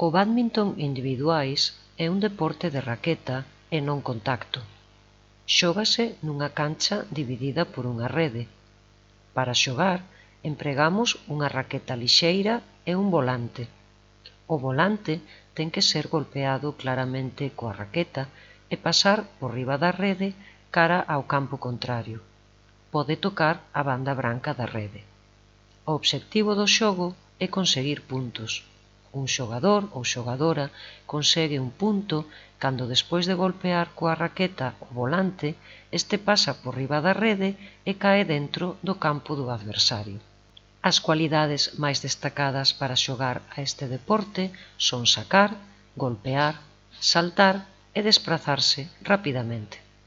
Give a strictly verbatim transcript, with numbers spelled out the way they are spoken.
O bádminton individuais é un deporte de raqueta e non contacto. Xógase nunha cancha dividida por unha rede. Para xogar, empregamos unha raqueta lixeira e un volante. O volante ten que ser golpeado claramente coa raqueta e pasar por riba da rede cara ao campo contrario. Pode tocar a banda branca da rede. O obxectivo do xogo é conseguir puntos. Un xogador ou xogadora consegue un punto cando despois de golpear coa raqueta o volante, este pasa por riba da rede e cae dentro do campo do adversario. As cualidades máis destacadas para xogar a este deporte son sacar, golpear, saltar e desprazarse rapidamente.